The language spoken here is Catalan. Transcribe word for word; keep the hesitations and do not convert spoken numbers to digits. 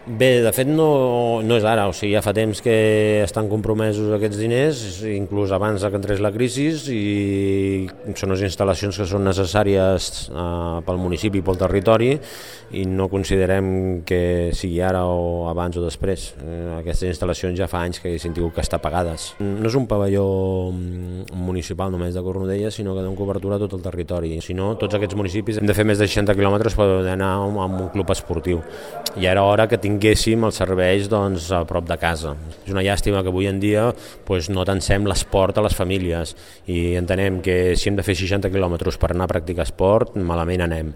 Bé, de fet no, no és ara, o sigui, ja fa temps que estan compromesos aquests diners, inclús abans que entrés la crisi, i són unes instal·lacions que són necessàries eh, pel municipi i pel territori, i no considerem que sigui ara o abans o després. Eh, aquestes instal·lacions ja fa anys que haguessin tingut que estar pagades. No és un pavelló municipal només de Cornudella, sinó que donen cobertura a tot el territori. Si no, tots aquests municipis hem de fer més de seixanta quilòmetres per anar a un club esportiu. I era hora que tinguéssim els serveis doncs, a prop de casa. És una llàstima que avui en dia doncs, no tancem l'esport a les famílies i entenem que si hem de fer seixanta quilòmetres per anar a practicar esport, malament anem.